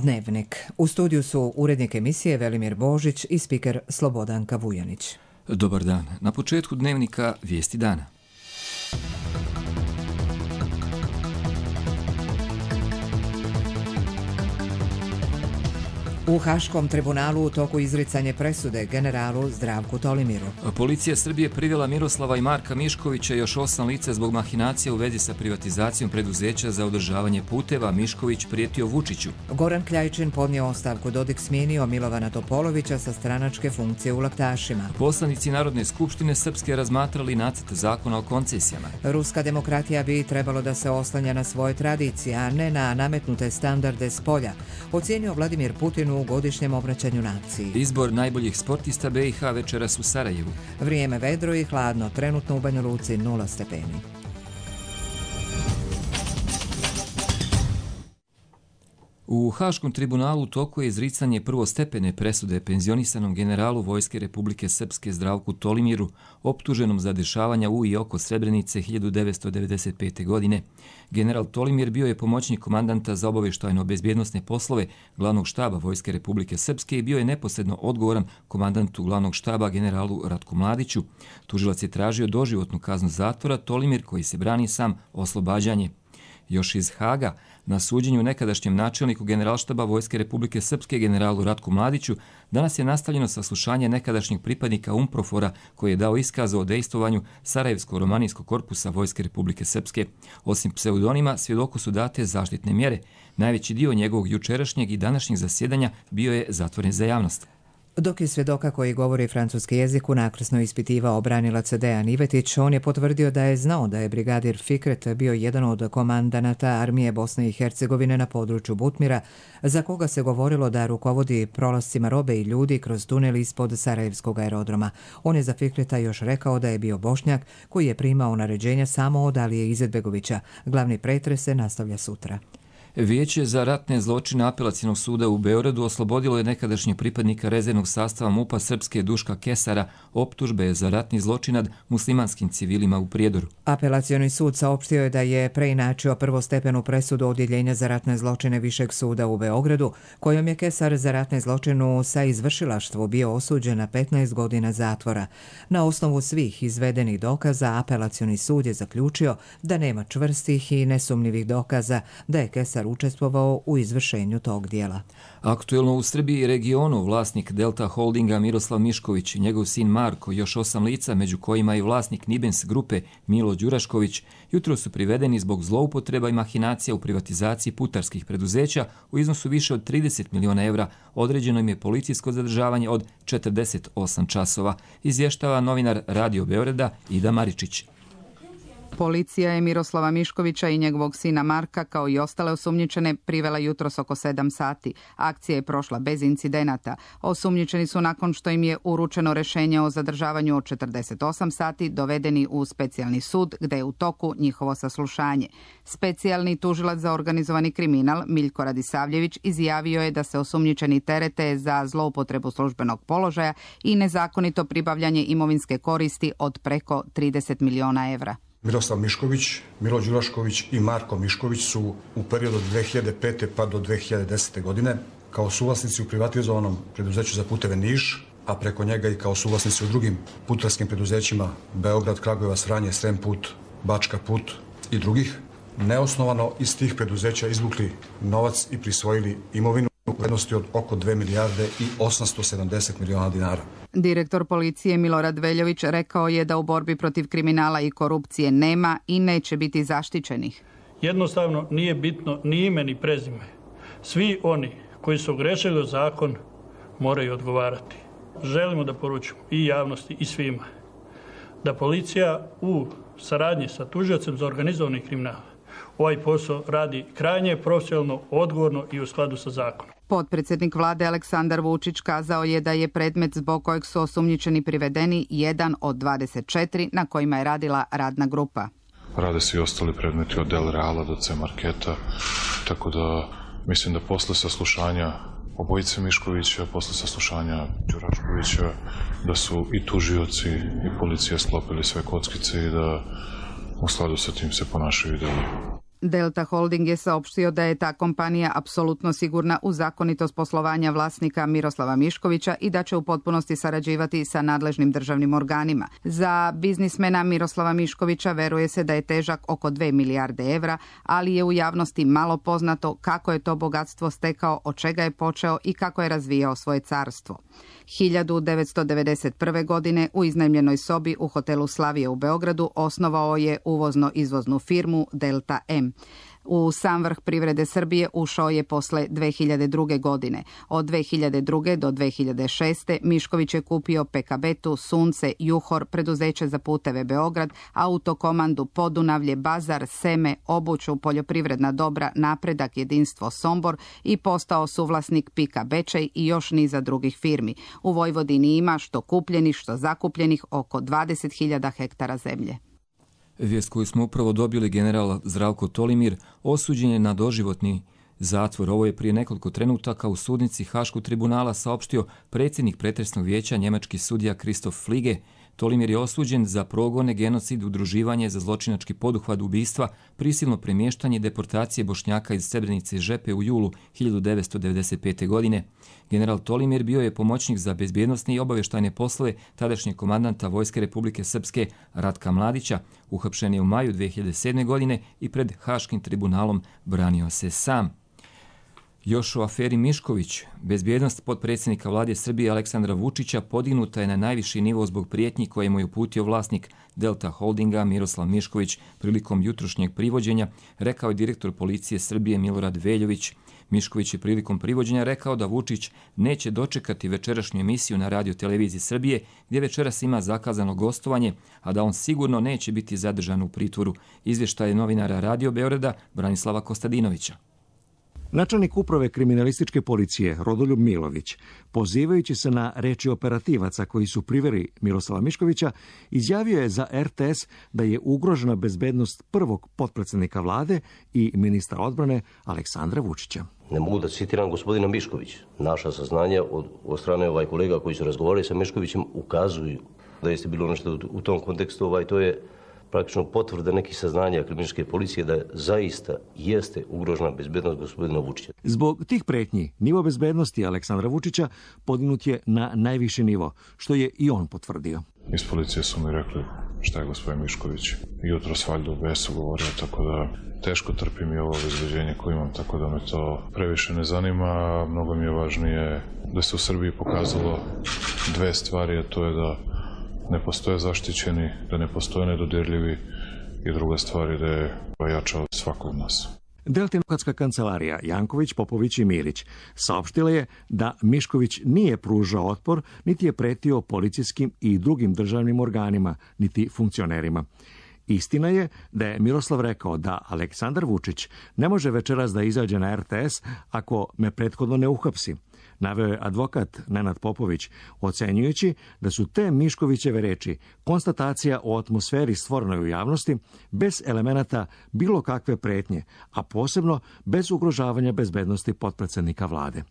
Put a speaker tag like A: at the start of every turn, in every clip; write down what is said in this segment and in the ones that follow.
A: Dnevnik. U studiju su urednik emisije Velimir Božić i spiker Slobodanka Vujanić.
B: Dobar dan. Na početku Dnevnika vijesti dana.
A: U Haškom tribunalu u toku izricanje presude generalu Zdravku Tolimiru.
B: Policija Srbije privela Miroslava i Marka Miškovića i još 8 lica zbog mahinacija u vezi sa privatizacijom preduzeća za održavanje puteva. Mišković prijetio Vučiću.
A: Goran Kljajčin podnio ostavku, Dodik smijenio Milovana Topolovića sa stranačke funkcije u Laktašima.
B: Poslanici Narodne skupštine Srpske razmatrali nacrt zakona o koncesijama.
A: Ruska demokratija bi trebalo da se oslanja na svoje tradicije, a ne na nametnute standarde s polja, ocijenio Vladimir Putin u godišnjem obraćanju naciji.
B: Izbor najboljih sportista BiH večeras u Sarajevu.
A: Vrijeme vedro i hladno, trenutno u Banja Luci 0 stepeni.
B: U Haškom tribunalu u toku je izricanje prvostepene presude penzionisanom generalu Vojske Republike Srpske Zdravku Tolimiru, optuženom za dešavanja u i oko Srebrenice 1995. godine. General Tolimir bio je pomoćnik komandanta za obavještajno-bezbjednosne poslove glavnog štaba Vojske Republike Srpske i bio je neposredno odgovoran komandantu glavnog štaba generalu Ratku Mladiću. Tužilac je tražio doživotnu kaznu zatvora, Tolimir, koji se brani sam, oslobađanje. Još iz Haga, na suđenju nekadašnjem načelniku generalštaba Vojske Republike Srpske generalu Ratku Mladiću, danas je nastavljeno saslušanje nekadašnjeg pripadnika UNPROFOR-a koji je dao iskaz o dejstvovanju Sarajevsko-romanijskog korpusa Vojske Republike Srpske. Osim pseudonima, svjedoku su date zaštitne mjere. Najveći dio njegovog jučerašnjeg i današnjeg zasjedanja bio je zatvoren za javnost.
A: Dok je svjedoka koji govori francuski jezik unakrsno ispitivao branilac Dejan Ivetić, on je potvrdio da je znao da je brigadir Fikret bio jedan od komandanata armije Bosne i Hercegovine na području Butmira, za koga se govorilo da rukovodi prolascima robe i ljudi kroz tunel ispod Sarajevskog aerodroma. On je za Fikreta još rekao da je bio Bošnjak koji je primao naređenja samo od Alije Izetbegovića. Glavni pretres se nastavlja sutra.
B: Vijeće za ratne zločine Apelacionog suda u Beogradu oslobodilo je nekadašnjeg pripadnika rezervnog sastava MUP-a Srpske Duška Kesara optužbe za ratni zločin nad muslimanskim civilima u Prijedoru.
A: Apelacioni sud saopštio je da je preinačio prvostepenu presudu Odjeljenja za ratne zločine Višeg suda u Beogradu, kojom je Kesar za ratne zločinu sa izvršilaštvu bio osuđen na 15 godina zatvora. Na osnovu svih izvedenih dokaza, Apelacioni sud je zaključio da nema čvrstih i nesumnjivih dokaza da je Kesar učestvovao u izvršenju tog dijela.
B: Aktuelno u Srbiji i regionu vlasnik Delta Holdinga Miroslav Mišković i njegov sin Marko, još 8 lica, među kojima i vlasnik Nibens grupe Milo Đurašković, jutro su privedeni zbog zloupotreba i mahinacija u privatizaciji putarskih preduzeća u iznosu više od 30 miliona evra. Određeno im je policijsko zadržavanje od 48 časova, izvještava novinar Radio Beograda Ida Maričić.
C: Policija je Miroslava Miškovića i njegovog sina Marka, kao i ostale osumnjičene, privela jutros oko 7 sati. Akcija je prošla bez incidenata. Osumnjičeni su, nakon što im je uručeno rješenje o zadržavanju od 48 sati, dovedeni u specijalni sud, gde je u toku njihovo saslušanje. Specijalni tužilac za organizovani kriminal Miljko Radisavljević izjavio je da se osumnjičeni terete za zloupotrebu službenog položaja i nezakonito pribavljanje imovinske koristi od preko 30 miliona evra.
D: Miroslav Mišković, Milo Đurašković i Marko Mišković su u periodu od 2005. pa do 2010. godine kao suvlasnici u privatizovanom preduzeću za puteve Niš, a preko njega i kao suvlasnici u drugim putarskim preduzećima Beograd, Kragujevac, Vranje, Srem put, Bačka put i drugih, neosnovano iz tih preduzeća izvukli novac i prisvojili imovinu u vrednosti od oko 2 milijarde i 870 miliona dinara.
C: Direktor policije Milorad Veljović rekao je da u borbi protiv kriminala i korupcije nema i neće biti zaštićenih.
E: Jednostavno nije bitno ni ime ni prezime. Svi oni koji su ogrešili o zakon moraju odgovarati. Želimo da poručimo i javnosti i svima da policija u saradnji sa tužiocem za organizovani kriminal ovaj posao radi krajnje profesionalno, odgovorno i u skladu sa zakonom.
C: Potpredsjednik vlade Aleksandar Vučić kazao je da je predmet zbog kojeg su osumnjičeni privedeni jedan od 24 na kojima je radila radna grupa.
F: Rade se i ostali predmeti od Del Reala do C Marketa, tako da mislim da posle saslušanja obojice Miškovića, posle saslušanja Đuraškovića, da su i tužioci i policija sklopili sve kockice i da u skladu sa tim se ponašaju i dalje.
C: Delta Holding je saopštio da je ta kompanija apsolutno sigurna u zakonitost poslovanja vlasnika Miroslava Miškovića i da će u potpunosti sarađivati sa nadležnim državnim organima. Za biznismena Miroslava Miškovića veruje se da je težak oko 2 milijarde evra, ali je u javnosti malo poznato kako je to bogatstvo stekao, od čega je počeo i kako je razvijao svoje carstvo. 1991. godine u iznajmljenoj sobi u hotelu Slavije u Beogradu osnovao je uvozno-izvoznu firmu Delta M. U sam vrh privrede Srbije ušao je posle 2002. godine. Od 2002. do 2006. Mišković je kupio Pekabetu, Sunce, Juhor, preduzeće za puteve Beograd, Autokomandu, Podunavlje, Bazar, Seme, Obuću, poljoprivredna dobra, Napredak, Jedinstvo, Sombor i postao suvlasnik Pika Bečej i još niza drugih firmi. U Vojvodini ima što kupljenih, što zakupljenih oko 20.000 hektara zemlje.
B: Vijest koju smo upravo dobili, general Zdravko Tolimir osuđen je na doživotni zatvor. Ovo je prije nekoliko trenutaka u sudnici Haškog tribunala saopštio predsjednik pretresnog vijeća, njemački sudija Christoph Fliege. Tolimir je osuđen za progone, genocid, udruživanje za zločinački poduhvat, ubistva, prisilno premještanje, deportacije Bošnjaka iz Srebrenice i Žepe u julu 1995. godine. General Tolimir bio je pomoćnik za bezbjednosne i obavještajne poslove tadašnjeg komandanta Vojske Republike Srpske Ratka Mladića. Uhapšen je u maju 2007. godine i pred Haškim tribunalom branio se sam. Još o aferi Mišković. Bezbjednost potpredsjednika vlade Srbije Aleksandra Vučića podignuta je na najviši nivo zbog prijetnji koje mu je uputio vlasnik Delta Holdinga Miroslav Mišković prilikom jutrošnjeg privođenja, rekao je direktor policije Srbije Milorad Veljović. Mišković je prilikom privođenja rekao da Vučić neće dočekati večerašnju emisiju na Radio televiziji Srbije, gdje večeras ima zakazano gostovanje, a da on sigurno neće biti zadržan u pritvoru. Izvještaj novinara Radio Beograda Branislava Kostadinovića.
G: Načelnik uprave kriminalističke policije Rodoljub Milović, pozivajući se na reči operativaca koji su priveli Miroslava Miškovića, izjavio je za RTS da je ugrožena bezbednost prvog potpredsjednika vlade i ministra odbrane Aleksandra Vučića.
H: Ne mogu da citiram gospodina Miškovića. Naša saznanja od strane kolega koji su razgovarali sa Miškovićem ukazuju da jeste bilo nešto u tom kontekstu, to je praktično potvrda nekih saznanja kriminalističke policije da zaista jeste ugrožena bezbednost gospodina Vučića.
G: Zbog tih pretnji, nivo bezbednosti Aleksandra Vučića podignut je na najviši nivo, što je i on potvrdio.
F: Iz policije su mi rekli šta je gospodin Mišković jutros valjda u besu govorio, tako da teško trpim i ovo obezbeđenje koje imam, tako da me to previše ne zanima. Mnogo mi je važnije da se u Srbiji pokazalo dve stvari, a to je da ne postoje zaštićeni, da ne postoje nedodirljivi i druga stvar je da je jača od svakog nas.
G: Delta advokatska kancelarija Janković, Popović i Milić saopštila je da Mišković nije pružao otpor, niti je pretio policijskim i drugim državnim organima, niti funkcionerima. Istina je da je Miroslav rekao da Aleksandar Vučić ne može večeras da izađe na RTS ako me prethodno ne uhapsi. Naveo je advokat Nenad Popović, ocenjujući da su te Miškovićeve reči konstatacija o atmosferi stvorenoj u javnosti bez elemenata bilo kakve pretnje, a posebno bez ugrožavanja bezbednosti potpredsjednika vlade.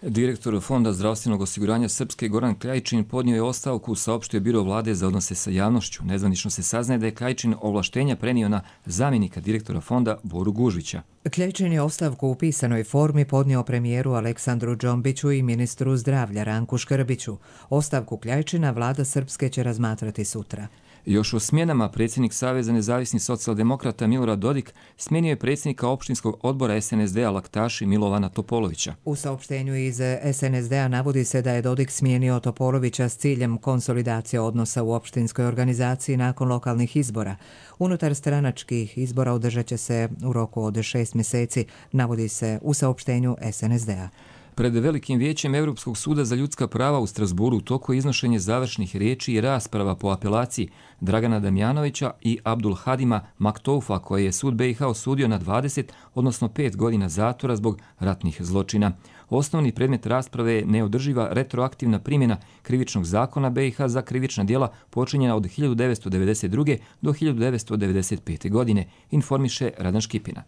B: Direktor Fonda zdravstvenog osiguranja Srpske Goran Kljajičin podnio je ostavku, saopštio biro vlade za odnose sa javnošću. Nezvanično se saznaje da je Kljajičin ovlaštenja prenio na zamjenika direktora fonda Boru Gužvića.
A: Kljajičin je ostavku u pisanoj formi podnio premijeru Aleksandru Džombiću i ministru zdravlja Ranku Škrbiću. Ostavku Kljajičina vlada Srpske će razmatrati sutra.
B: Još o smjenama predsjednik Saveza nezavisnih socijaldemokrata Milorad Dodik smijenio je predsjednika opštinskog odbora SNSD-a Laktaši Milovana Topolovića.
A: U saopštenju iz SNSD-a navodi se da je Dodik smijenio Topolovića s ciljem konsolidacije odnosa u opštinskoj organizaciji nakon lokalnih izbora. Unutar stranačkih izbora održat će se u roku od 6 mjeseci, navodi se u saopštenju SNSD-a.
B: Pred Velikim vijećem Europskog suda za ljudska prava u Strasburu u toku je iznošenje završnih riječi i rasprava po apelaciji Dragana Damjanovića i Abdul Hadima Maktoufa, koje je sud BiH osudio na 20, odnosno 5 godina zatvora zbog ratnih zločina. Osnovni predmet rasprave je neodrživa retroaktivna primjena krivičnog zakona BiH za krivična djela počinjena od 1992. do 1995. godine, informiše Radan Škipina.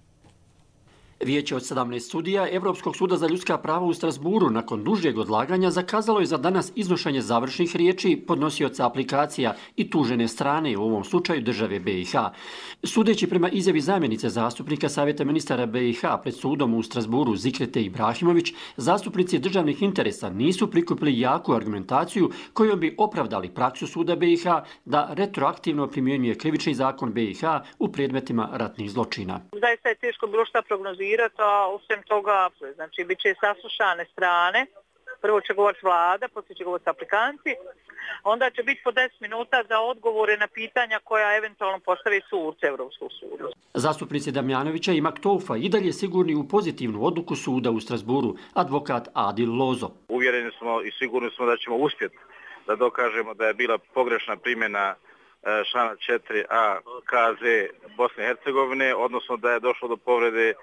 I: Vijeće od 17 sudija Evropskog suda za ljudska prava u Strasburu nakon dužeg odlaganja zakazalo je za danas iznošenje završnih riječi podnosioca aplikacija i tužene strane, u ovom slučaju države BiH. Sudeći prema izjavi zamjenice zastupnika Savjeta ministara BiH pred sudom u Strasburu Zikrete Ibrahimović, zastupnici državnih interesa nisu prikupili jaku argumentaciju kojom bi opravdali praksu suda BiH da retroaktivno primjenjuje krivični zakon BiH u predmetima ratnih zločina.
J: Zaista je teško bilo šta prognozirati, a osim toga, znači, bit će saslušane strane. Prvo će govoriti vlada, poslije će govoriti aplikanti, onda će biti po 10 minuta za odgovore na pitanja koja eventualno postavi suci Evropskog suda.
I: Zastupnici Damjanovića i Maktoufa i dalje sigurni u pozitivnu odluku suda u Strasburu, advokat Adil Lozo.
K: Uvjereni smo i sigurni smo da ćemo uspjeti da dokažemo da je bila pogrešna primjena člana 4a KZ Bosne i Hercegovine, odnosno da je došlo do povrede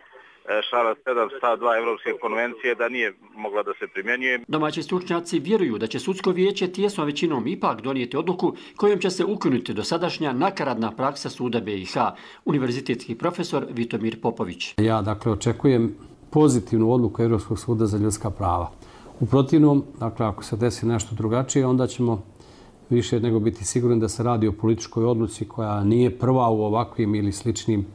K: člana 7 stav 2 Evropske konvencije, da nije mogla da se primjenjuje.
I: Domaći stručnjaci vjeruju da će sudsko vijeće tijesnom većinom ipak donijeti odluku kojom će se ukinuti dosadašnja nakaradna praksa suda BiH. Univerzitetski profesor Vitomir Popović.
L: Ja očekujem pozitivnu odluku Evropskog suda za ljudska prava. U protivnom, ako se desi nešto drugačije, onda ćemo više nego biti sigurni da se radi o političkoj odluci koja nije prva u ovakvim ili sličnim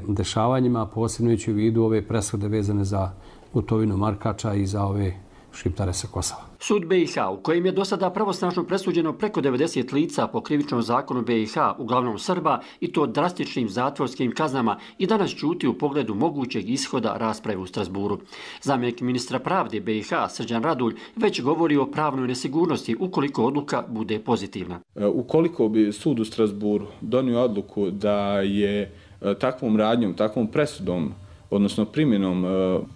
L: dešavanjima, posebno ići u vidu ove presude vezane za Gotovinu Markača i za ove Šiptare sa Kosova.
I: Sud BiH, u kojem je do sada pravosnažno presuđeno preko 90 lica po krivičnom zakonu BiH, uglavnom Srba, i to drastičnim zatvorskim kaznama, i danas ćuti u pogledu mogućeg ishoda rasprave u Strasburu. Zamjenik ministra pravde BiH, Srđan Radulj, već govori o pravnoj nesigurnosti ukoliko odluka bude pozitivna.
M: Ukoliko bi sud u Strasburu donio odluku da je takvom radnjom, takvom presudom, odnosno primjenom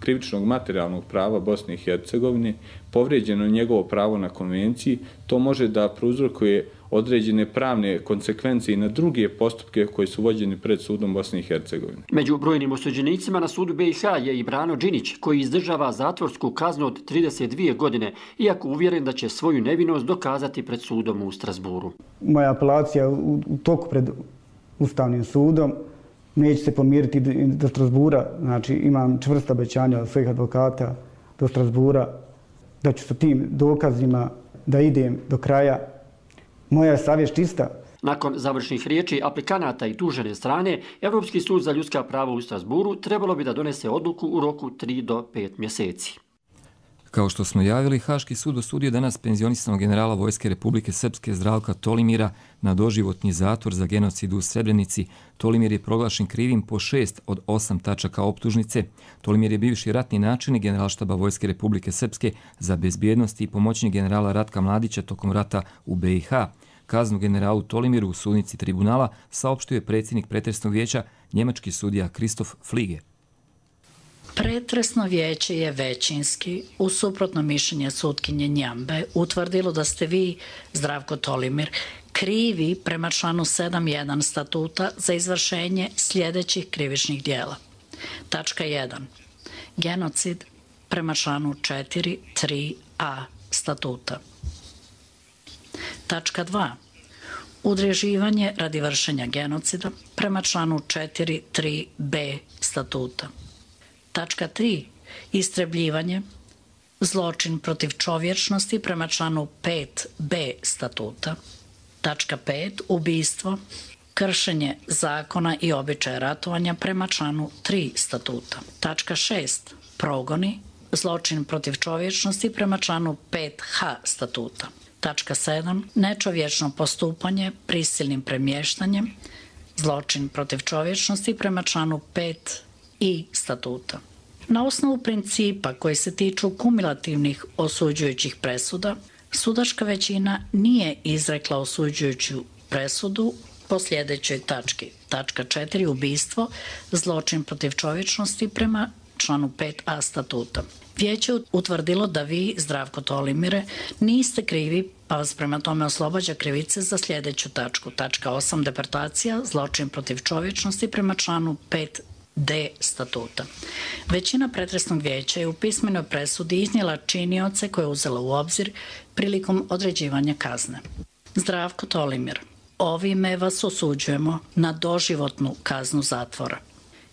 M: krivičnog materijalnog prava Bosne i Hercegovine, povrijeđeno njegovo pravo na konvenciji, to može da prouzrokuje određene pravne konsekvence i na druge postupke koji su vođeni pred sudom Bosne i Hercegovine.
I: Među brojnim osuđenicima na sudu BiH je i Brano Đinić, koji izdržava zatvorsku kaznu od 32 godine, iako uvjeren da će svoju nevinost dokazati pred sudom u Strasburu.
N: Moja apelacija u toku pred Ustavnim sudom, neće se pomiriti do Strasbura, znači imam čvrsta obećanja od svojih advokata do Strasbura, da ću sa tim dokazima da idem do kraja. Moja je savjest čista.
I: Nakon završnih riječi aplikanata i tužene strane, Evropski sud za ljudska prava u Strasburu trebalo bi da donese odluku u roku 3 do 5 mjeseci.
B: Kao što smo javili, Haški sud osudio danas penzionisanog generala Vojske Republike Srpske Zdravka Tolimira na doživotni zatvor za genocid u Srebrenici. Tolimir je proglašen krivim po 6 od 8 tačaka optužnice. Tolimir je bivši ratni načelnik Generalštaba Vojske Republike Srpske za bezbjednost i pomoćnik generala Ratka Mladića tokom rata u BiH. Kaznu generalu Tolimiru u sudnici tribunala saopštio je predsjednik pretresnog vijeća, njemački sudija Kristof Flige.
O: Pretresno vijeće je većinski, uz suprotno mišljenje sutkinje Njambe, utvrdilo da ste vi, Zdravko Tolimir, krivi prema članu 7.1 statuta za izvršenje sljedećih krivičnih dijela. Tačka 1. Genocid prema članu 4.3a statuta. Tačka 2. Udruživanje radi vršenja genocida prema članu 4.3b statuta. Tačka 3. Istrebljivanje, zločin protiv čovječnosti prema članu 5b statuta. Tačka 5. Ubijstvo, kršenje zakona i običaja ratovanja prema članu 3 statuta. Tačka 6. Progoni, zločin protiv čovječnosti prema članu 5h statuta. Tačka 7. Nečovječno postupanje prisilnim premještanjem, zločin protiv čovječnosti prema članu 5i statuta. Na osnovu principa koji se tiču kumulativnih osuđujućih presuda, sudačka većina nije izrekla osuđujuću presudu po sljedećoj tački. Tačka 4. Ubijstvo, zločin protiv čovječnosti prema članu 5a statuta. Vijeće utvrdilo da vi, Zdravko Tolimire, niste krivi, pa vas prema tome oslobađa krivice za sljedeću tačku. Tačka 8. Deportacija, zločin protiv čovječnosti prema članu 5d statuta. Većina pretresnog vijeća je u pismenoj presudi iznijela činioce koje je uzela u obzir prilikom određivanja kazne. Zdravko Tolimir, ovime vas osuđujemo na doživotnu kaznu zatvora.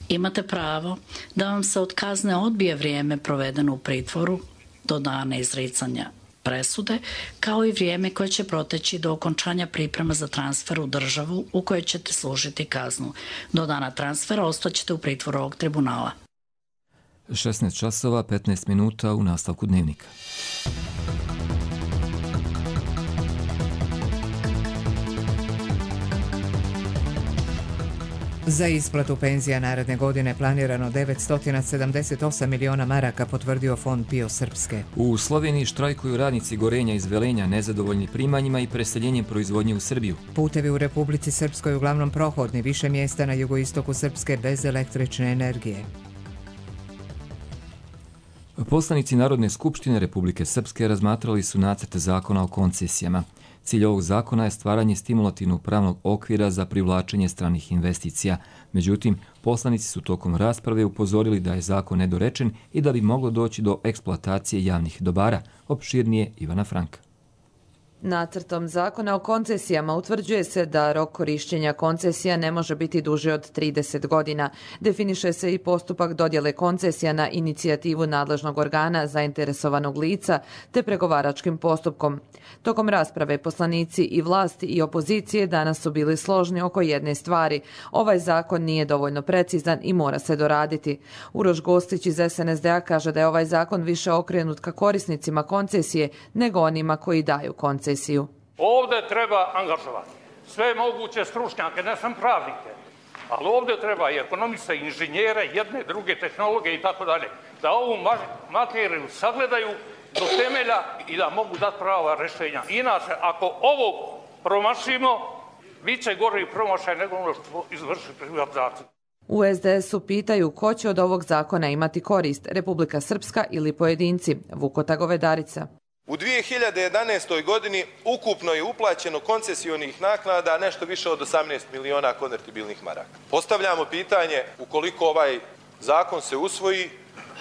O: Imate pravo da vam se od kazne odbije vrijeme provedeno u pritvoru do dana izricanja presude, kao i vrijeme koje će proteći do okončanja priprema za transfer u državu u kojoj ćete služiti kaznu. Do dana transfera ostaćete u pritvoru ovog tribunala.
B: 16 časova, 15 minuta u nastavku dnevnika.
A: Za isplatu penzija naredne godine planirano 978 miliona maraka, potvrdio Fond PIO Srpske.
B: U Sloveniji štrajkuju radnici Gorenja iz Velenja, nezadovoljni primanjima i preseljenjem proizvodnje u Srbiju.
A: Putevi u Republici Srpskoj uglavnom prohodni, više mjesta na jugoistoku Srpske bez električne energije.
B: Poslanici Narodne skupštine Republike Srpske razmatrali su nacrt zakona o koncesijama. Cilj ovog zakona je stvaranje stimulativnog pravnog okvira za privlačenje stranih investicija. Međutim, poslanici su tokom rasprave upozorili da je zakon nedorečen i da bi moglo doći do eksploatacije javnih dobara. Opširnije Ivana Franka.
P: Nacrtom zakona o koncesijama utvrđuje se da rok korišćenja koncesija ne može biti duži od 30 godina. Definiše se i postupak dodjele koncesija na inicijativu nadležnog organa, zainteresovanog lica, te pregovaračkim postupkom. Tokom rasprave poslanici i vlasti i opozicije danas su bili složni oko jedne stvari. Ovaj zakon nije dovoljno precizan i mora se doraditi. Uroš Gostić iz SNSD-a kaže da je ovaj zakon više okrenut ka korisnicima koncesije nego onima koji daju koncesiju.
Q: Ovdje treba angažovati sve moguće stručnjake, ne sam pravnike, ali ovdje treba i ekonomiste, i inženjere, jedne, druge tehnologe i tako dalje, da ovu materiju sagledaju do temelja i da mogu dati prava rješenja. Inače, ako ovo promašimo, bit će gori promašaj nego ono što izvrši privatizaciju.
P: U SDS-u pitaju ko će od ovog zakona imati korist, Republika Srpska ili pojedinci. Vukota Govedarica.
R: U 2011. godini ukupno je uplaćeno koncesionih naknada nešto više od 18 miliona konvertibilnih maraka. Postavljamo pitanje, ukoliko ovaj zakon se usvoji,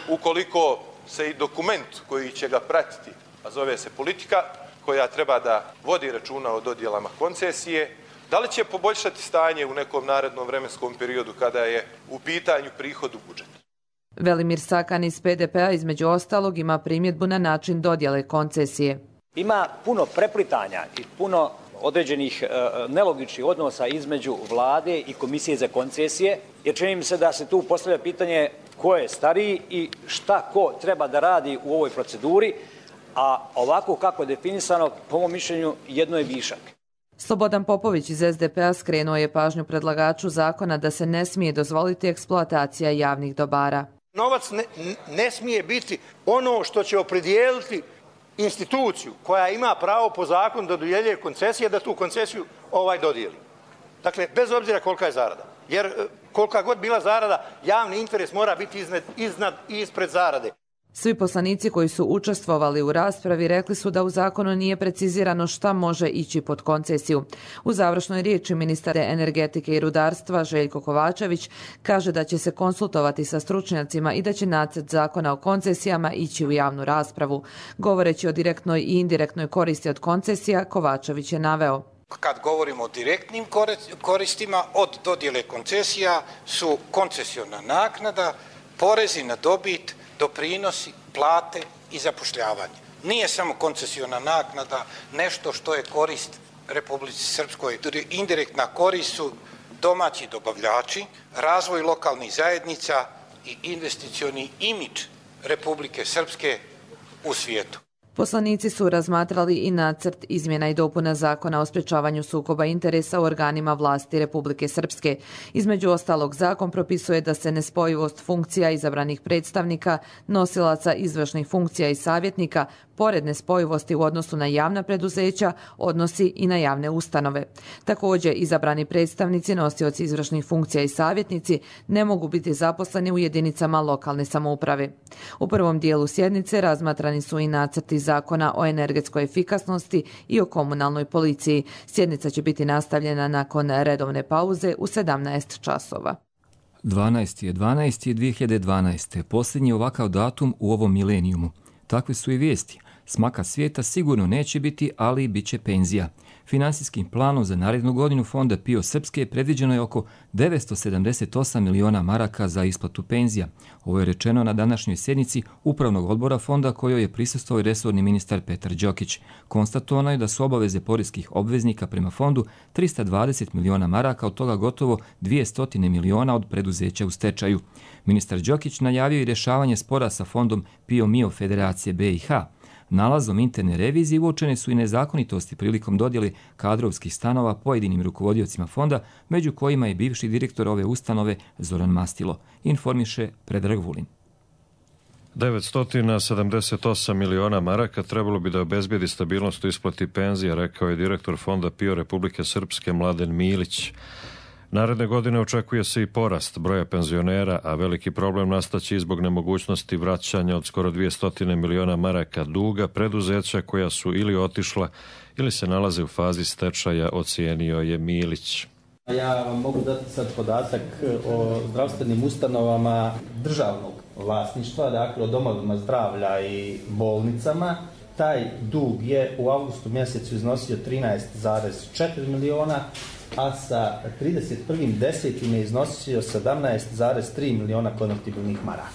R: ukoliko se i dokument koji će ga pratiti, a zove se politika, koja treba da vodi računa o dodjelama koncesije, da li će poboljšati stanje u nekom narednom vremenskom periodu kada je u pitanju prihod u budžetu?
P: Velimir Sakan iz PDP-a između ostalog ima primjedbu na način dodjele koncesije.
S: Ima puno preplitanja i puno određenih nelogičnih odnosa između vlade i komisije za koncesije, jer čini mi se da se tu postavlja pitanje ko je stariji i šta ko treba da radi u ovoj proceduri, a ovako kako je definisano, po mom mišljenju, jedno je višak.
P: Slobodan Popović iz SDP-a skrenuo je pažnju predlagaču zakona da se ne smije dozvoliti eksploatacija javnih dobara.
T: Novac ne smije biti ono što će opredijeliti instituciju koja ima pravo po zakonu da dodjeljuje koncesije, da tu koncesiju dodijeli. Dakle, bez obzira kolika je zarada. Jer kolika god bila zarada, javni interes mora biti iznad i ispred zarade.
P: Svi poslanici koji su učestvovali u raspravi rekli su da u zakonu nije precizirano šta može ići pod koncesiju. U završnoj riječi ministar energetike i rudarstva Željko Kovačević kaže da će se konsultovati sa stručnjacima i da će nacrt zakona o koncesijama ići u javnu raspravu. Govoreći o direktnoj i indirektnoj koristi od koncesija, Kovačević je naveo:
U: Kad govorimo o direktnim koristima od dodjele koncesija su koncesiona naknada, porezi na dobit, doprinosi, plate i zapošljavanje. Nije samo koncesiona naknada nešto što je korist Republici Srpskoj. Indirektna korist su domaći dobavljači, razvoj lokalnih zajednica i investicioni imidž Republike Srpske u svijetu.
P: Poslanici su razmatrali i nacrt izmjena i dopuna zakona o sprečavanju sukoba interesa u organima vlasti Republike Srpske. Između ostalog, zakon propisuje da se nespojivost funkcija izabranih predstavnika, nosilaca izvršnih funkcija i savjetnika, pored nespojivosti u odnosu na javna preduzeća, odnosi i na javne ustanove. Također, izabrani predstavnici, nosioci izvršnih funkcija i savjetnici ne mogu biti zaposleni u jedinicama lokalne samouprave. U prvom dijelu sjednice razmatrani su i nacrti zakona o energetskoj efikasnosti i o komunalnoj policiji. Sjednica će biti nastavljena nakon redovne pauze u 17 časova.
B: 12.12.2012. Posljednji ovakav datum u ovom milenijumu. Takve su i vijesti. Smaka svijeta sigurno neće biti, ali bit će penzija. Finansijskim planom za narednu godinu Fonda PIO Srpske predviđeno je oko 978 miliona maraka za isplatu penzija. Ovo je rečeno na današnjoj sjednici Upravnog odbora Fonda kojoj je prisustvovao i resorni ministar Petar Đokić. Konstatovano je da su obaveze poreskih obveznika prema Fondu 320 miliona maraka, od toga gotovo 200 miliona od preduzeća u stečaju. Ministar Đokić najavio i rješavanje spora sa Fondom PIO MIO Federacije BiH. Nalazom interne revizije uočene su i nezakonitosti prilikom dodjele kadrovskih stanova pojedinim rukovodiocima fonda, među kojima je bivši direktor ove ustanove Zoran Mastilo, informiše Predrag Vulin.
D: 978 miliona maraka trebalo bi da obezbijedi stabilnost u isplati penzija, rekao je direktor Fonda PIO Republike Srpske Mladen Milić. Naredne godine očekuje se i porast broja penzionera, a veliki problem nastaće i zbog nemogućnosti vraćanja od skoro 200 miliona maraka duga preduzeća koja su ili otišla ili se nalaze u fazi stečaja, ocijenio je Milić.
V: Ja vam mogu dati sad podatak o zdravstvenim ustanovama državnog vlasništva, dakle o domovima zdravlja i bolnicama. Taj dug je u avgustu mjesecu iznosio 13,4 miliona, a sa 31.10. je iznosio 17,3 miliona konvertibilnih maraka.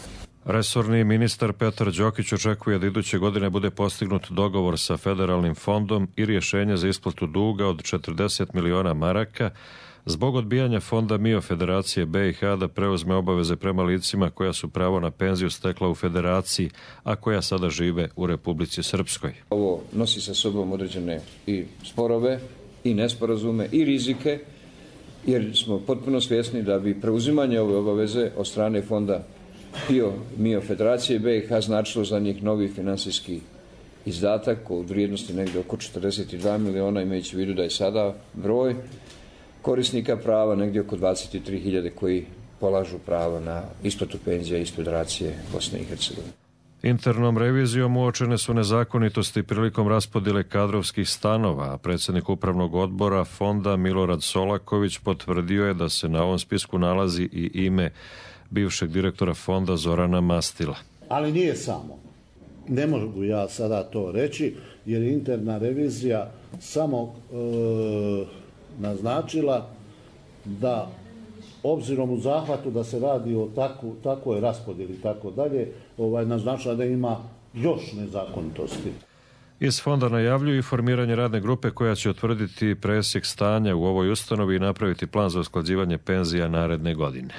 D: Resorni ministar Petar Đokić očekuje da iduće godine bude postignut dogovor sa federalnim fondom i rješenje za isplatu duga od 40 miliona maraka zbog odbijanja Fonda MIO Federacije BiH da preuzme obaveze prema licima koja su pravo na penziju stekla u federaciji, a koja sada žive u Republici Srpskoj.
W: Ovo nosi sa sobom određene i sporove, i nesporazume, i rizike, jer smo potpuno svjesni da bi preuzimanje ove obaveze od strane Fonda PIO MIO Federacije BiH značilo za njih novi finansijski izdatak u vrijednosti negdje oko 42 miliona, imajući u vidu da je sada broj korisnika prava negdje oko 23.000 koji polažu pravo na isplatu penzija iz Federacije Bosne i Hercegovine.
D: Internom revizijom uočene su nezakonitosti prilikom raspodjele kadrovskih stanova, a predsjednik Upravnog odbora Fonda Milorad Solaković potvrdio je da se na ovom spisku nalazi i ime bivšeg direktora Fonda Zorana Mastila.
X: Ali nije samo. Ne mogu ja sada to reći, jer je interna revizija samo naznačila da obzirom u zahvatu da se radi o takvoj raspodjeli i tako dalje, naznačila da ima još nezakonitosti.
D: Iz fonda najavljuju i formiranje radne grupe koja će utvrditi presjek stanja u ovoj ustanovi i napraviti plan za usklađivanje penzija naredne godine.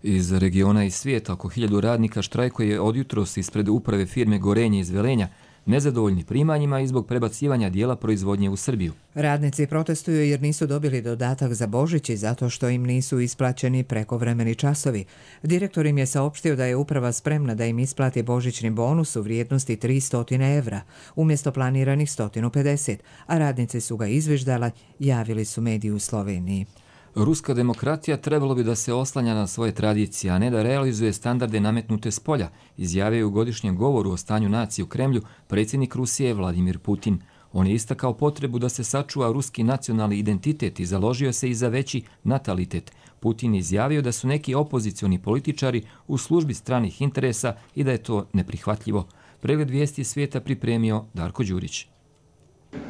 B: Iz regiona i svijeta oko 1000 radnika štrajkuje od jutros ispred uprave firme Gorenje iz Velenja, nezadovoljni primanjima i zbog prebacivanja dijela proizvodnje u Srbiju.
A: Radnici protestuju jer nisu dobili dodatak za Božić i zato što im nisu isplaćeni prekovremeni časovi. Direktor im je saopštio da je uprava spremna da im isplati božićni bonus u vrijednosti 300 evra, umjesto planiranih 150, a radnici su ga izviždala, javili su mediji u Sloveniji.
B: Ruska demokratija trebalo bi da se oslanja na svoje tradicije, a ne da realizuje standarde nametnute s polja, izjavio je u godišnjem govoru o stanju nacije u Kremlju predsjednik Rusije Vladimir Putin. On je istakao potrebu da se sačuva ruski nacionalni identitet i založio se i za veći natalitet. Putin je izjavio da su neki opozicioni političari u službi stranih interesa i da je to neprihvatljivo. Pregled vijesti svijeta pripremio Darko Đurić.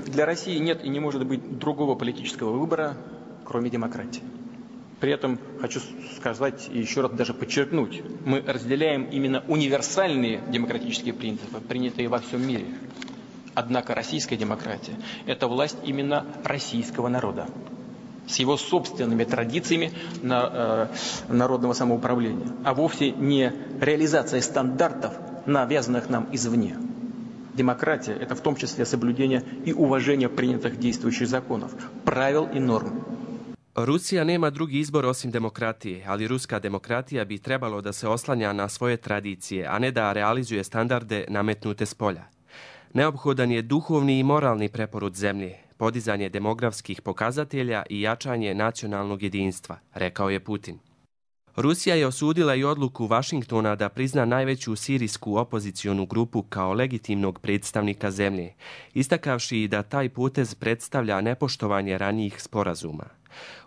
Y: Для России нет и не может быть другого политического выбора, кроме демократии. При этом хочу сказать и еще раз даже подчеркнуть, мы разделяем именно универсальные демократические принципы, принятые во всем мире. Однако российская демократия – это власть именно российского народа, с его собственными традициями народного самоуправления, а вовсе не реализация стандартов, навязанных нам извне. Демократия – это в том числе соблюдение и уважение принятых действующих законов, правил и норм.
Z: Rusija nema drugi izbor osim demokratije, ali ruska demokratija bi trebalo da se oslanja na svoje tradicije, a ne da realizuje standarde nametnute s polja. Neophodan je duhovni i moralni preporod zemlje, podizanje demografskih pokazatelja i jačanje nacionalnog jedinstva, rekao je Putin. Rusija je osudila i odluku Vašingtona da prizna najveću sirijsku opozicionu grupu kao legitimnog predstavnika zemlje, istakavši da taj potez predstavlja nepoštovanje ranijih sporazuma.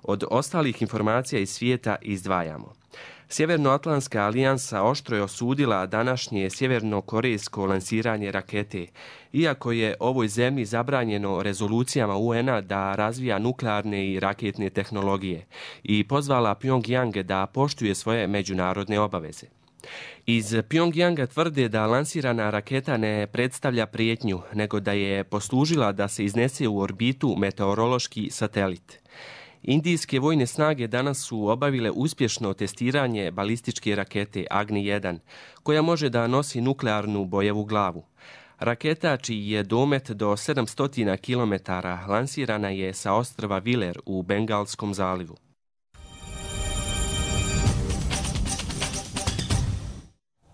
Z: Od ostalih informacija iz svijeta izdvajamo. Sjevernoatlantska alijansa oštro je osudila današnje sjevernokorejsko lansiranje rakete, iako je ovoj zemlji zabranjeno rezolucijama UN-a da razvija nuklearne i raketne tehnologije i pozvala Pyongyang da poštuje svoje međunarodne obaveze. Iz Pyongyanga tvrde da lansirana raketa ne predstavlja prijetnju, nego da je poslužila da se iznese u orbitu meteorološki satelit. Indijske vojne snage danas su obavile uspješno testiranje balističke rakete Agni-1, koja može da nosi nuklearnu bojevu glavu. Raketa, čiji je domet do 700 km, lansirana je sa ostrva Viler u Bengalskom zalivu.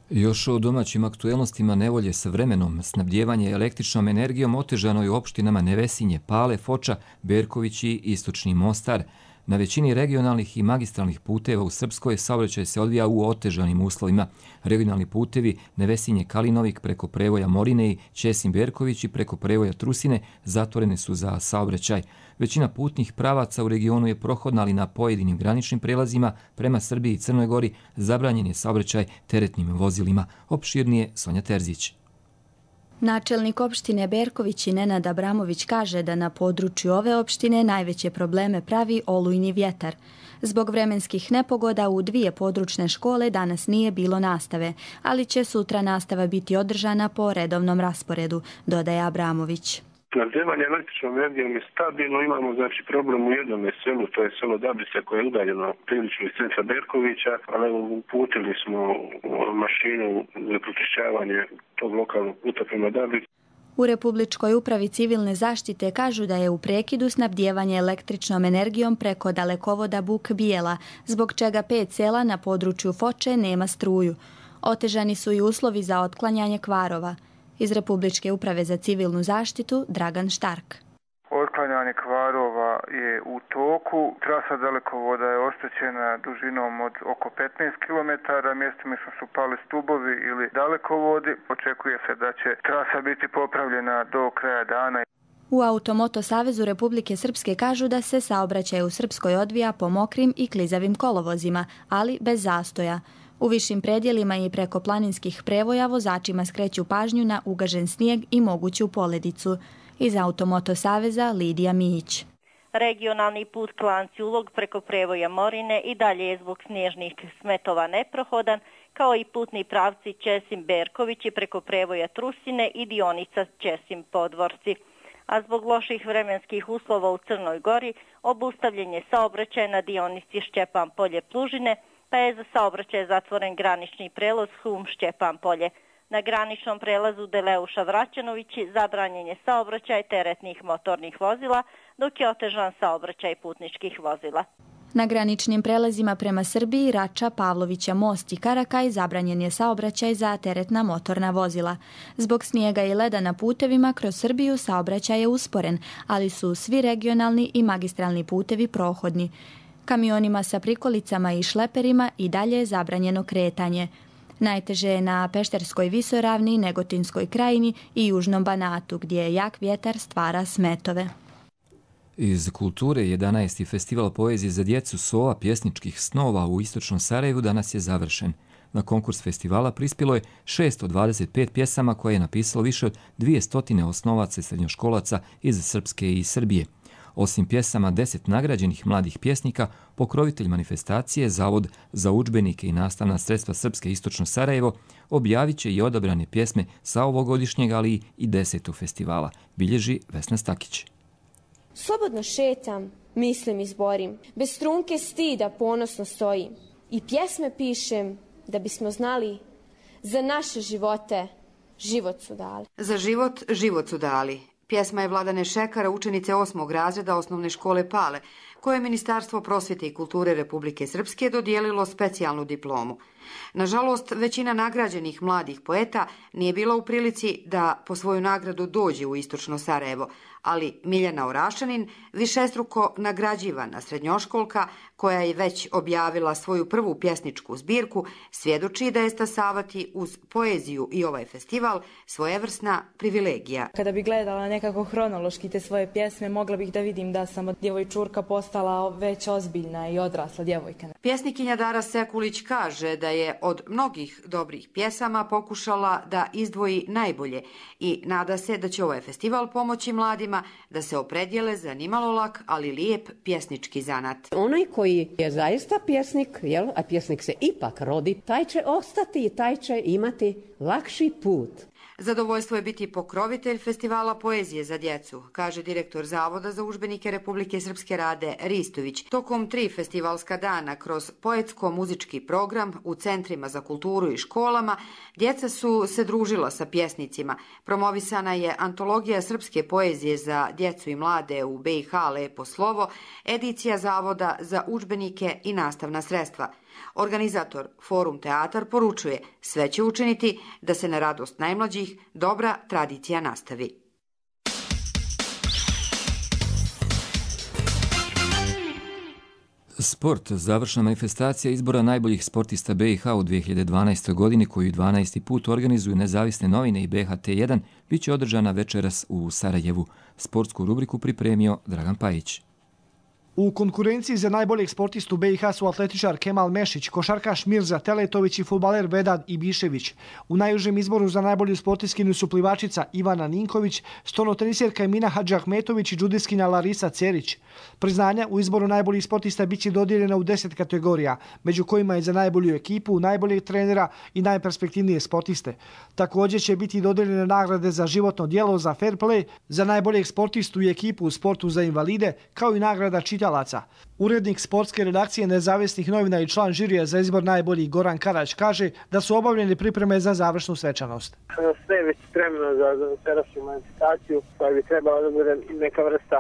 B: Još o domaćim aktuelnostima nevolje sa vremenom. Snabdijevanje električnom energijom otežano je u opštinama Nevesinje, Pale, Foča, Berković i Istočni Mostar. Na većini regionalnih i magistralnih puteva u Srpskoj saobraćaj se odvija u otežanim uslovima. Regionalni putevi Nevesinje Kalinovik preko prevoja Morine i Ćesin Berković i preko prevoja Trusine zatvorene su za saobraćaj. Većina putnih pravaca u regionu je prohodna, ali na pojedinim graničnim prelazima prema Srbiji i Crnoj Gori zabranjen je saobraćaj teretnim vozilima. Opširnije Sonja Terzić.
C: Načelnik opštine Berković i Nenad Abramović kaže da na području ove opštine najveće probleme pravi olujni vjetar. Zbog vremenskih nepogoda u 2 područne škole danas nije bilo nastave, ali će sutra nastava biti održana po redovnom rasporedu, dodaje Abramović.
E: Snabdijevanje električnom energijom je stabilno, imamo znači problem u jednom selu, to je selo Dabice koje je udaljeno prilično iz centra Berkovića, ali uputili smo mašinu za pročišćavanje tog lokalnog puta prema Dabici.
C: U Republičkoj upravi civilne zaštite kažu da je u prekidu snabdijevanje električnom energijom preko dalekovoda Buk Bijela, zbog čega 5 sela na području Foče nema struju. Otežani su i uslovi za otklanjanje kvarova. Iz Republičke uprave za civilnu zaštitu Dragan Štark.
F: Otklanjanje kvarova je u toku. Trasa dalekovoda je oštećena dužinom od oko 15 km. Mjestima su pali stubovi ili dalekovodi. Očekuje se da će trasa biti popravljena do kraja dana.
C: U Automoto Savezu Republike Srpske kažu da se saobraćaj u Srpskoj odvija po mokrim i klizavim kolovozima, ali bez zastoja. U višim predjelima i preko planinskih prevoja vozačima skreću pažnju na ugažen snijeg i moguću poledicu. Iz Automoto Saveza Lidija Mijić.
G: Regionalni put Klanci-Ulog preko prevoja Morine i dalje je zbog snježnih smetova neprohodan, kao i putni pravci Ćesim-Berković i preko prevoja Trusine i dionica Ćesim-Podvorci. A zbog loših vremenskih uslova u Crnoj Gori obustavljen je saobraćaj na dionici Šćepan Polje-Plužine, pa je za saobraćaj zatvoren granični prelaz Hum-Šćepan Polje. Na graničnom prelazu Deleuša-Vraćanovići zabranjen je saobraćaj teretnih motornih vozila, dok je otežan saobraćaj putničkih vozila.
C: Na graničnim prelazima prema Srbiji, Rača, Pavlovića, Most i Karakaj zabranjen je saobraćaj za teretna motorna vozila. Zbog snijega i leda na putevima kroz Srbiju saobraćaj je usporen, ali su svi regionalni i magistralni putevi prohodni. Kamionima sa prikolicama i šleperima i dalje je zabranjeno kretanje. Najteže je na Pešterskoj visoravni, Negotinskoj krajini i Južnom Banatu, gdje jak vjetar stvara smetove.
B: Iz kulture 11. festival poezije za djecu Sova pjesničkih snova u Istočnom Sarajevu danas je završen. Na konkurs festivala prispjelo je 625 pjesama koje je napisalo više od 200 osnovaca i srednjoškolaca iz Srpske i Srbije. Osim pjesama 10 nagrađenih mladih pjesnika, pokrovitelj manifestacije, Zavod za udžbenike i nastavna sredstva Srpske Istočno Sarajevo, objavit će i odabrane pjesme sa ovogodišnjeg, ali i 10. festivala, bilježi Vesna Stakić.
H: Slobodno šetam, mislim i zborim, bez strunke stida ponosno stojim i pjesme pišem da bismo znali za naše živote život su dali.
J: Za život, život su dali. Pjesma je Vladane Šekara, učenice 8. razreda osnovne škole Pale, koje je Ministarstvo prosvjete i kulture Republike Srpske dodijelilo specijalnu diplomu. Nažalost, većina nagrađenih mladih poeta nije bila u prilici da po svoju nagradu dođe u Istočno Sarajevo, ali Miljana Orašanin, višestruko nagrađivana srednjoškolka koja je već objavila svoju prvu pjesničku zbirku, svjedoči da je stasavati uz poeziju i ovaj festival svojevrsna privilegija.
I: Kada bi gledala nekako hronološki te svoje pjesme, mogla bih da vidim da sam od djevojčurka postala već ozbiljna i odrasla djevojka.
J: Pjesnikinja Dara Sekulić kaže da je od mnogih dobrih pjesama pokušala da izdvoji najbolje i nada se da će ovaj festival pomoći mladima da se opredijele za nimalo lak, ali lijep pjesnički zanat.
K: Onaj koji je zaista pjesnik, a pjesnik se ipak rodi, taj će ostati i taj će imati lakši put.
J: Zadovoljstvo je biti pokrovitelj festivala poezije za djecu, kaže direktor Zavoda za udžbenike Republike Srpske Rade Ristović. Tokom 3 festivalska dana kroz poetsko-muzički program u centrima za kulturu i školama djeca su se družila sa pjesnicima. Promovisana je antologija srpske poezije za djecu i mlade u BiH Lepo slovo, edicija Zavoda za udžbenike i nastavna sredstva. Organizator Forum Teatar poručuje, sve će učiniti da se na radost najmlađih dobra tradicija nastavi.
B: Sport, završna manifestacija izbora najboljih sportista BiH u 2012. godini, koju 12. put organizuju Nezavisne novine i BHT1, bit će održana večeras u Sarajevu. Sportsku rubriku pripremio Dragan Pajić.
L: U konkurenciji za najboljeg sportistu BiH su atletičar Kemal Mešić, košarkaš Mirza Teletović i fudbaler Vedad Ibišević. U najužem izboru za najbolju sportistkinju su plivačica Ivana Ninković, stonotenisjerka Emina Hadžahmetović i džudiskinja Larisa Cerić. Priznanja u izboru najboljih sportista bit će dodijeljena u 10 kategorija, među kojima je za najbolju ekipu, najboljeg trenera i najperspektivnije sportiste. Također će biti dodijeljene nagrade za životno djelo, za fair play, za najboljeg sportistu i ekipu u sportu za invalide, kao i nagrada čitalaca. Urednik sportske redakcije Nezavisnih novina i član žirija za izbor najboljih Goran Karać kaže da su obavljene pripreme za završnu svečanost.
M: Sve je već spremno za večerašnju manifestaciju koja bi trebala da bude neka vrsta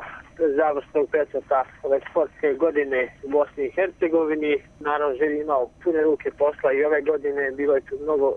M: završnog pečata ove sportske godine u Bosni i Hercegovini. Naravno, žiri imao pune ruke posla i ove godine bilo je tu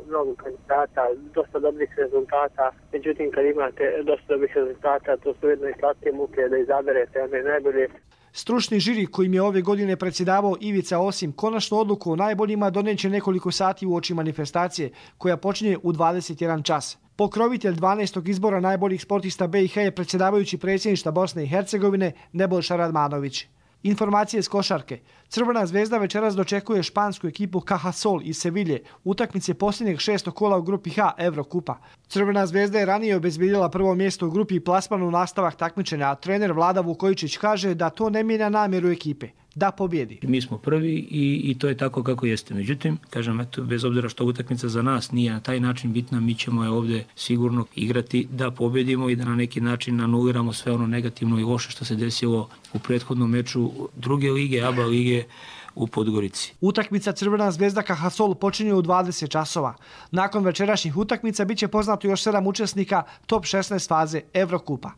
M: mnogo kandidata, dosta dobrih rezultata. Međutim, kad imate dosta dobrih rezultata, to su jedno i slatke muke da izaberete one najbolje.
L: Stručni žiri kojim je ove godine predsjedavao Ivica Osim konačnu odluku o najboljima doneće nekoliko sati uoči manifestacije koja počinje u 21 čas. Pokrovitelj 12. izbora najboljih sportista BiH je predsjedavajući predsjedništva Bosne i Hercegovine Nebojša Radmanović. Informacije s košarke. Crvena zvezda večeras dočekuje špansku ekipu Cajasol iz Sevilje, utakmice posljednjeg 6. kola u grupi H Evrokupa. Crvena zvezda je ranije obezbijedila prvo mjesto u grupi i plasman u nastavak takmičenja, a trener Vlada Vukojičić kaže da to ne mijenja namjeru ekipe, da pobjedi.
N: Mi smo prvi i to je tako kako jeste. Međutim, kažem, eto, bez obzira što utakmica za nas nije na taj način bitna, mi ćemo je ovdje sigurno igrati da pobjedimo i da na neki način anuliramo sve ono negativno i loše što se desilo u prethodnom meču druge lige, ABA lige u Podgorici.
L: Utakmica Crvena zvezda Cajasol počinje u 20 časova. Nakon večerašnjih utakmica bit će poznato još 7 učesnika top 16 faze Evrokupa.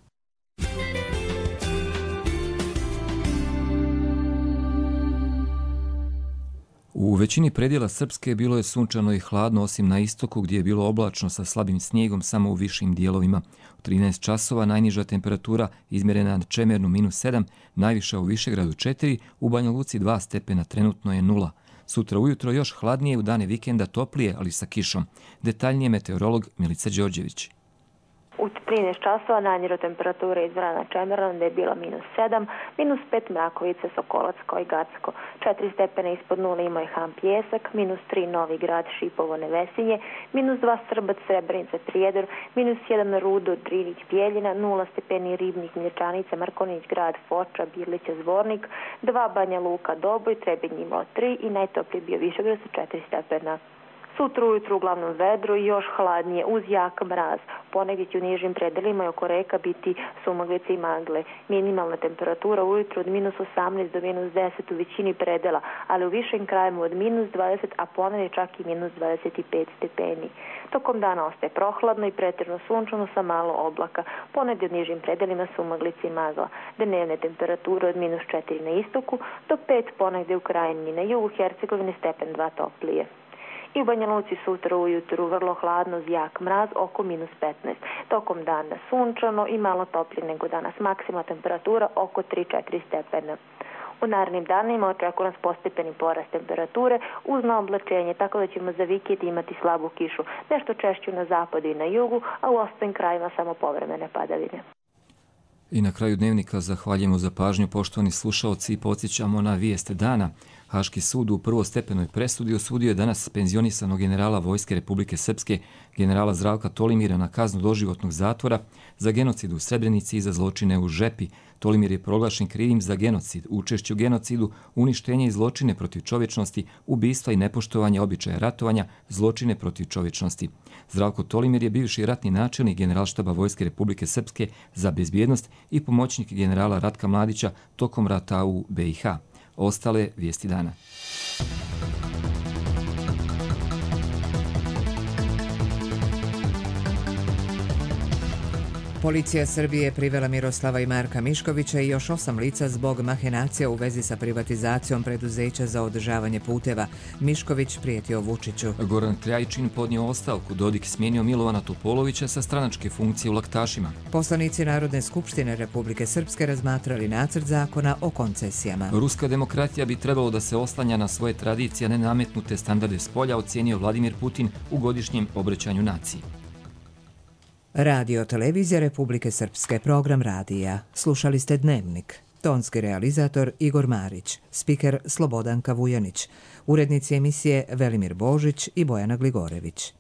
B: U većini predjela Srpske bilo je sunčano i hladno, osim na istoku gdje je bilo oblačno sa slabim snijegom samo u višim dijelovima. U 13 časova najniža temperatura izmjerena na Čemernu -7, najviša u Višegradu 4, u Banja Luci 2 stepena, trenutno je 0. Sutra ujutro još hladnije, u dane vikenda toplije, ali sa kišom. Detaljnije meteorolog Milica Đorđević.
O: U 13 časova najniža temperatura izmjerena na Čemernu gdje je bila -7, -5 Mrakovica, Sokolac kao i Gacko. 4 stepena ispod nule imao je Han Pijesak, -3 Novi Grad, Šipovo, Nevesinje, -2 Srbac, Srebrenica, Prijedor, -1 Rudo, Drinić, Bijeljina, 0 stepeni Ribnik, Mlječanica, Markonić Grad, Foča, Birlića, Zvornik, 2 Banja Luka, Doboj, Trebinj imao 3 i najtopliji bio Višegrad sa 4 stepena. Sutra ujutru uglavnom vedro i još hladnije uz jak mraz. Ponegdje će u nižim predelima i oko reka biti sumaglice i magle. Minimalna temperatura ujutru od -18 do -10 u većini predela, ali u višim krajima od -20, a ponegdje čak i -25 stepeni. Tokom dana ostaje prohladno i pretežno sunčano sa malo oblaka. Ponegdje u nižim predelima sumaglice i magla. Dnevne temperature od -4 na istoku do 5 ponegdje u krajini. Na jugu Hercegovine stepen 2 toplije. i u Banja Luci sutra ujutru vrlo hladno uz jak mraz oko -15. Tokom dana sunčano i malo toplije nego danas, maksimalna temperatura oko 3-4 stepena. U narednim danima očekuje nas postepeni porast temperature uz naoblačenje, tako da ćemo za vikend imati slabu kišu, nešto češću na zapadu i na jugu, a u ostalim krajima samo povremene padavine.
B: I na kraju dnevnika zahvaljujemo za pažnju, poštovani slušaoci, i podsjećamo na vijest dana. Haški sud u prvostepenoj presudi osudio je danas penzionisanog generala Vojske Republike Srpske, generala Zdravka Tolimira, na kaznu doživotnog zatvora za genocid u Srebrenici i za zločine u Žepi. Tolimir je proglašen krivim za genocid, učešće u genocidu, uništenje i zločine protiv čovječnosti, ubistva i nepoštovanje običaja ratovanja, zločine protiv čovječnosti. Zdravko Tolimir je bivši ratni načelnik Generalštaba Vojske Republike Srpske za bezbjednost i pomoćnik generala Ratka Mladića tokom rata u BiH. Ostale vijesti dana.
A: Policija Srbije je privela Miroslava i Marka Miškovića i još 8 lica zbog mahinacija u vezi sa privatizacijom preduzeća za održavanje puteva. Mišković prijetio Vučiću.
B: Goran Krajčin podnio ostavku, Dodik smijenio Milovana Topolovića sa stranačke funkcije u Laktašima.
A: Poslanici Narodne skupštine Republike Srpske razmatrali nacrt zakona o koncesijama.
B: Ruska demokratija bi trebalo da se oslanja na svoje tradicije, ne nametnute standarde spolja, ocijenio Vladimir Putin u godišnjem obraćanju naciji.
A: Radio Televizija Republike Srpske, program radija. Slušali ste Dnevnik. Tonski realizator Igor Marić, spiker Slobodanka Vujanić, urednici emisije Velimir Božić i Bojana Gligorević.